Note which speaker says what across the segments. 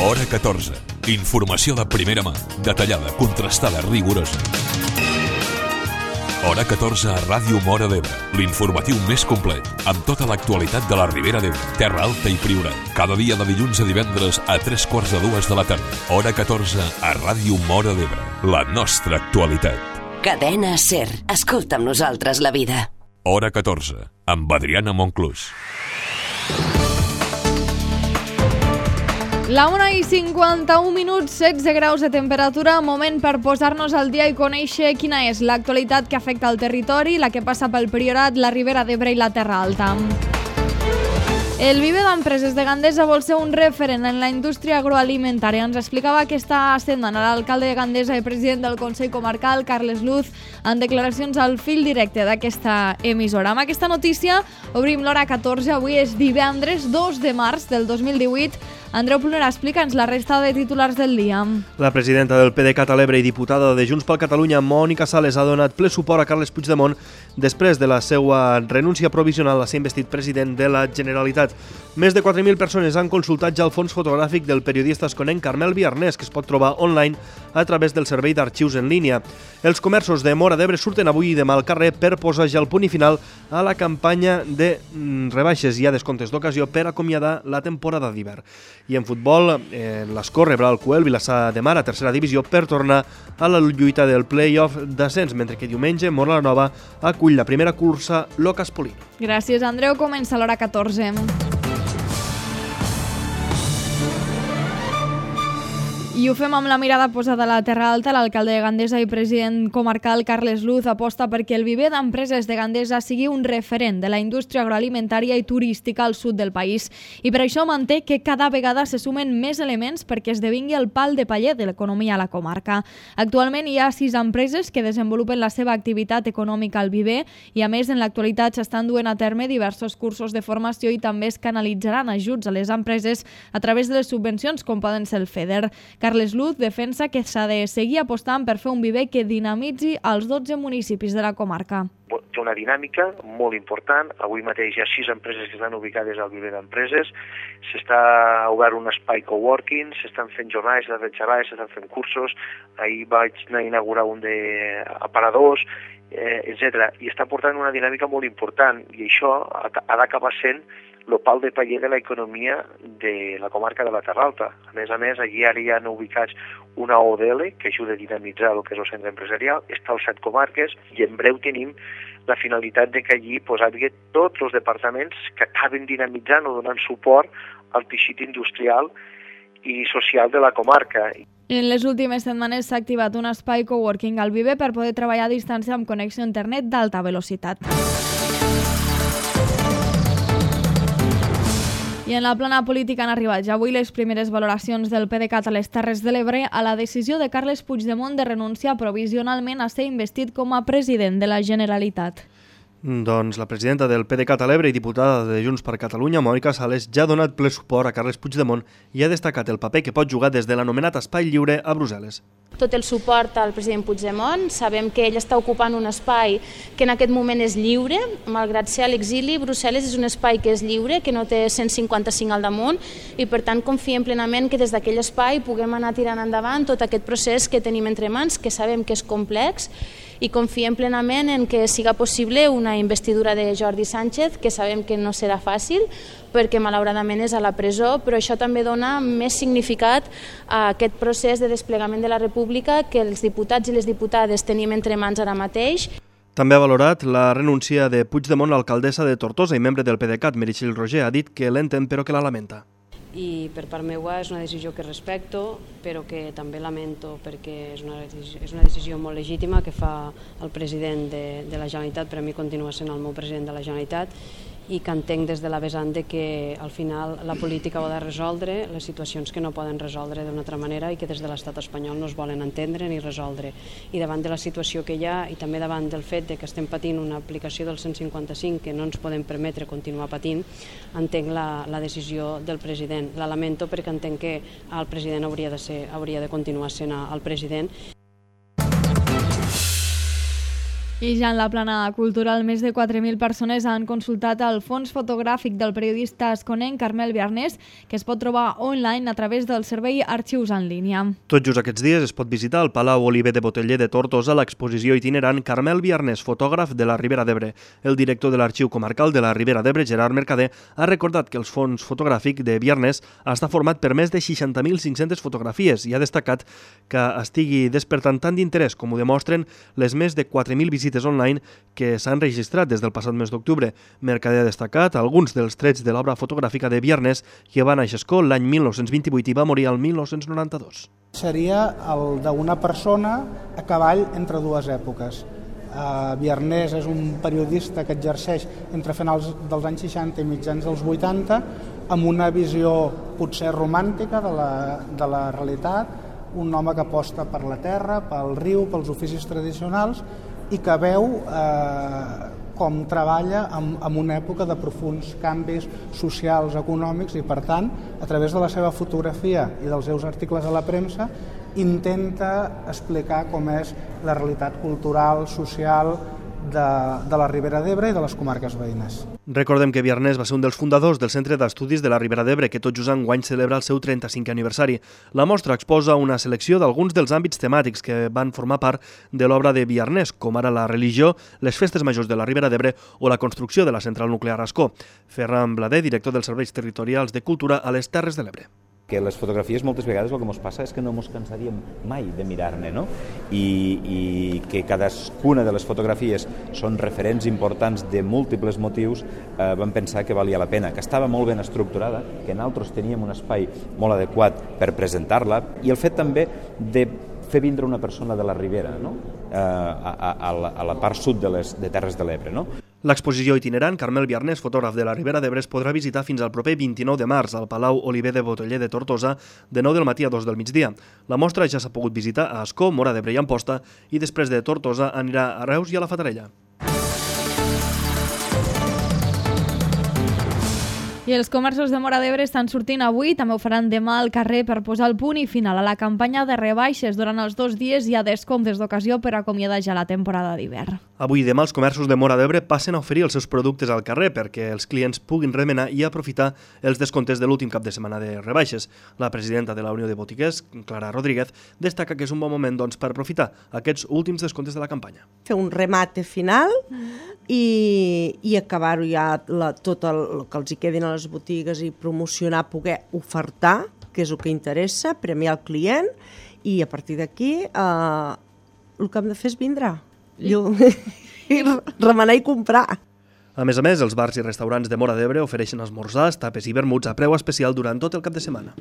Speaker 1: Hora 14. Informació de primera mà, detallada, contrastada, rigorosa. Hora 14 a Ràdio Móra d'Ebre, l'informatiu més complet, amb tota l'actualitat de la Ribera d'Ebre, Terra Alta i Priorat. Cada dia de dilluns a divendres a 3:45 de la tarda. Hora 14 a Ràdio Móra d'Ebre, la nostra actualitat.
Speaker 2: Cadena SER. Escolta amb nosaltres la vida.
Speaker 1: Hora 14, amb Adriana Monclús.
Speaker 3: La 1:51, 16 graus de temperatura, moment per posar-nos al dia i conèixer quina és l'actualitat que afecta el territori, la que passa pel Priorat, la Ribera d'Ebre i la Terra Alta. El Viver d'Empreses de Gandesa vol ser un referent en la indústria agroalimentària. Ens explicava aquesta setmana l'alcalde de Gandesa i president del Consell Comarcal, Carles Luz, en declaracions al fil directe d'aquesta emissora. Amb aquesta notícia obrim l'hora 14. Avui és divendres 2 de març del 2018. Andreu Plunera, explica'ns la resta de titulars del dia.
Speaker 4: La presidenta del PDeCAT a l'Ebre i diputada de Junts per Catalunya, Mònica Sales, ha donat ple suport a Carles Puigdemont després de la seva renúncia provisional a ser investit president de la Generalitat. Més de 4.000 persones han consultat ja el fons fotogràfic del periodista esconenc Carmel Biarnès, que es pot trobar online a través del servei d'arxius en línia. Els comerços de Móra d'Ebre surten avui i demà al carrer per posar ja el punt i final a la campanya de rebaixes i a descomptes d'ocasió per acomiadar la temporada d'hivern. I en futbol, l'Escó rebrà el Cuel Vilassar de Mar a tercera divisió per tornar a la lluita del play-off d'ascens, mentre que diumenge Móra la Nova acull la primera cursa Locas Polino.
Speaker 3: Gràcies, Andreu. Comença l'hora 14. I ho fem amb la mirada posada a la Terra Alta. L'alcalde de Gandesa i president comarcal Carles Luz aposta perquè el Viver d'Empreses de Gandesa sigui un referent de la indústria agroalimentària i turística al sud del país. I per això manté que cada vegada se sumen més elements perquè esdevingui el pal de paller de l'economia a la comarca. Actualment hi ha 6 empreses que desenvolupen la seva activitat econòmica al Viver i a més en l'actualitat s'estan duent a terme diversos cursos de formació i també es canalitzaran ajuts a les empreses a través de les subvencions com poden ser el FEDER. Carles Luz defensa que s'ha de seguir apostant per fer un Viver que dinamitzi els 12 municipis de la comarca.
Speaker 5: Té una dinàmica molt important. Avui mateix hi ha 6 empreses que estan ubicades al Viver d'Empreses. S'està obert un espai coworking, s'estan fent jornades, s'estan fent xerrades, s'estan fent cursos. Ahir vaig anar a inaugurar un d'aparadors, etc. I està portant una dinàmica molt important i això ha d'acabar sent el pal de paller de l'economia de la comarca de la Terra Alta. A més, allí ara hi ha ubicats una ODL que ajuda a dinamitzar el que és el centre empresarial, està als 7 comarques i en breu tenim la finalitat de que allí hi hagi tots els departaments que acaben dinamitzant o donant suport al teixit industrial i social de la comarca.
Speaker 3: En les últimes setmanes s'ha activat un espai coworking al Viver per poder treballar a distància amb connexió a internet d'alta velocitat. I en la plana política han arribat ja avui les primeres valoracions del PDeCAT a les Terres de l'Ebre a la decisió de Carles Puigdemont de renunciar provisionalment a ser investit com a president de la Generalitat.
Speaker 4: Doncs la presidenta del PDeCAT a l'Ebre i diputada de Junts per Catalunya, Mònica Sales, ja ha donat ple suport a Carles Puigdemont i ha destacat el paper que pot jugar des de l'anomenat Espai Lliure a Brussel·les.
Speaker 6: Tot el suport al president Puigdemont. Sabem que ell està ocupant un espai que en aquest moment és lliure, malgrat ser a l'exili. Brussel·les és un espai que és lliure, que no té 155 al damunt i per tant confiem plenament que des d'aquell espai puguem anar tirant endavant tot aquest procés que tenim entre mans, que sabem que és complex, i confiem plenament en que siga possible una investidura de Jordi Sánchez, que sabem que no serà fàcil perquè malauradament és a la presó, però això també dona més significat a aquest procés de desplegament de la República que els diputats i les diputades tenim entre mans ara mateix.
Speaker 4: També ha valorat la renúncia de Puigdemont, l'alcaldessa de Tortosa i membre del PDeCAT, Meritxell Roger, ha dit que l'entén però que la lamenta.
Speaker 7: I per part meva és una decisió que respecto, però que també lamento perquè és una decisió molt legítima que fa el president de la Generalitat, per a mi continua sent el meu president de la Generalitat, i que entenc des de la vessant de que al final la política ha de resoldre les situacions que no poden resoldre d'una altra manera i que des de l'estat espanyol no es volen entendre ni resoldre. I davant de la situació que hi ha i també davant del fet de que estem patint una aplicació del 155 que no ens podem permetre continuar patint, entenc la decisió del president. La lamento perquè entenc que el president hauria de continuar sent el president.
Speaker 3: I ja en la plana cultural, més de 4.000 persones han consultat el fons fotogràfic del periodista asconenc Carmel Biarnés, que es pot trobar online a través del servei Arxius en línia.
Speaker 4: Tot just aquests dies es pot visitar al Palau Oliver de Boteller de Tortosa l'exposició itinerant Carmel Biarnés, fotògraf de la Ribera d'Ebre. El director de l'Arxiu Comarcal de la Ribera d'Ebre, Gerard Mercader, ha recordat que el fons fotogràfic de Biarnés està format per més de 60.500 fotografies i ha destacat que estigui despertant tant d'interès com ho demostren les més de 4.000 visites online que s'han registrat des del passat mes d'octubre. Mercader ha destacat alguns dels trets de l'obra fotogràfica de Biarnés, que va néixer a Ascó l'any 1928 i va morir el 1992.
Speaker 8: Seria el d'una persona a cavall entre dues èpoques. Biarnés és un periodista que exerceix entre finals dels anys 60 i mitjans dels 80, amb una visió potser romàntica de la realitat, un home que aposta per la terra, pel riu, pels oficis tradicionals, i que veu com treballa en una època de profunds canvis socials, econòmics, i per tant, a través de la seva fotografia i dels seus articles a la premsa, intenta explicar com és la realitat cultural, social de la Ribera d'Ebre i de les comarques veïnes.
Speaker 4: Recordem que Biarnés va ser un dels fundadors del Centre d'Estudis de la Ribera d'Ebre, que tot just enguany celebra el seu 35è aniversari. La mostra exposa una selecció d'alguns dels àmbits temàtics que van formar part de l'obra de Biarnés, com ara la religió, les festes majors de la Ribera d'Ebre o la construcció de la central nuclear a Ascó. Ferran Blader, director dels Serveis Territorials de Cultura a les Terres de l'Ebre.
Speaker 9: Que les fotografies moltes vegades el que ens passa és que no ens cansaríem mai de mirar-ne, no? I que cadascuna de les fotografies són referents importants de múltiples motius, vam pensar que valia la pena, que estava molt ben estructurada, que nosaltres teníem un espai molt adequat per presentar-la, i el fet també de fer vindre una persona de la Ribera, no? A la part sud de Terres de l'Ebre, no?
Speaker 4: L'exposició itinerant Carmel Biarnés, fotògraf de la Ribera d'Ebre, es podrà visitar fins al proper 29 de març al Palau Oliver de Boteller de Tortosa de 9 del matí a 2 del migdia. La mostra ja s'ha pogut visitar a Ascó, Móra d'Ebre i Amposta, i després de Tortosa anirà a Reus i a la Fatarella.
Speaker 3: I els comerços de Móra d'Ebre estan sortint avui, també ho faran demà al carrer per posar el punt i final a la campanya de rebaixes. Durant els 2 dies hi ha descomptes d'ocasió per acomiadar ja la temporada d'hivern.
Speaker 4: Avui i demà els comerços de Móra d'Ebre passen a oferir els seus productes al carrer perquè els clients puguin remenar i aprofitar els descomptes de l'últim cap de setmana de rebaixes. La presidenta de la Unió de Botiguers, Clara Rodríguez, destaca que és un bon moment per aprofitar aquests últims descomptes de la campanya.
Speaker 10: Fer un remate final i acabar-ho ja tot el que els hi quedin a les botigues i promocionar, poder ofertar, que és el que interessa, premiar el client, i a partir d'aquí el que hem de fer és vindre i remenar i comprar.
Speaker 4: A més, els bars i restaurants de Móra d'Ebre ofereixen esmorzars, tapes i vermuts a preu especial durant tot el cap de setmana.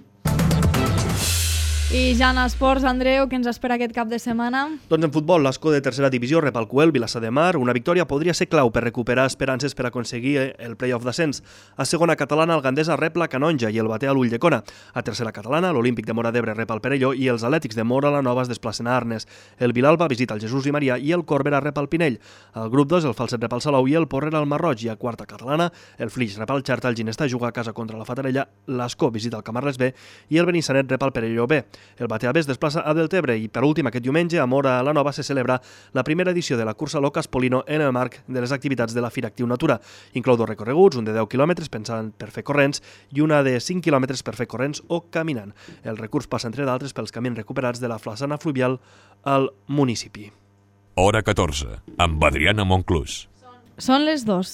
Speaker 3: I ja en esports, Andreu, què ens espera aquest cap de setmana?
Speaker 4: Doncs en futbol, l'Ascó de tercera divisió rep el Cuel, Vilassar de Mar. Una victòria podria ser clau per recuperar esperances per aconseguir el play-off d'ascens. A segona catalana, el Gandesa rep la Canonja i el Batea l'Ulldecona. A tercera catalana, l'Olímpic de Móra d'Ebre rep el Perelló i els Atlètics de Móra la Nova es desplacen a Arnes. El Vilalba visita el Jesús i Maria i el Corbera rep el Pinell. Al grup 2, el Falset rep el Salou i el Porrera el Marroig. I a quarta catalana, el Flix rep el Xerta, el Ginesta juga a casa contra la Fatarella, l'Ascó visita el Camarles B i el Benissanet rep el Perelló B. El Batea B es desplaça a Deltebre i, per últim, aquest diumenge a Móra la Nova se celebra la primera edició de la cursa Locas Polino en el marc de les activitats de la Fira Actiu Natura. Inclou 2 recorreguts, un de 10 quilòmetres pensant per fer corrents i una de 5 quilòmetres per fer corrents o caminant. El recurs passa, entre d'altres, pels camins recuperats de la flassana fluvial al municipi.
Speaker 1: Hora 14, amb Adriana Monclús.
Speaker 3: Són les 2.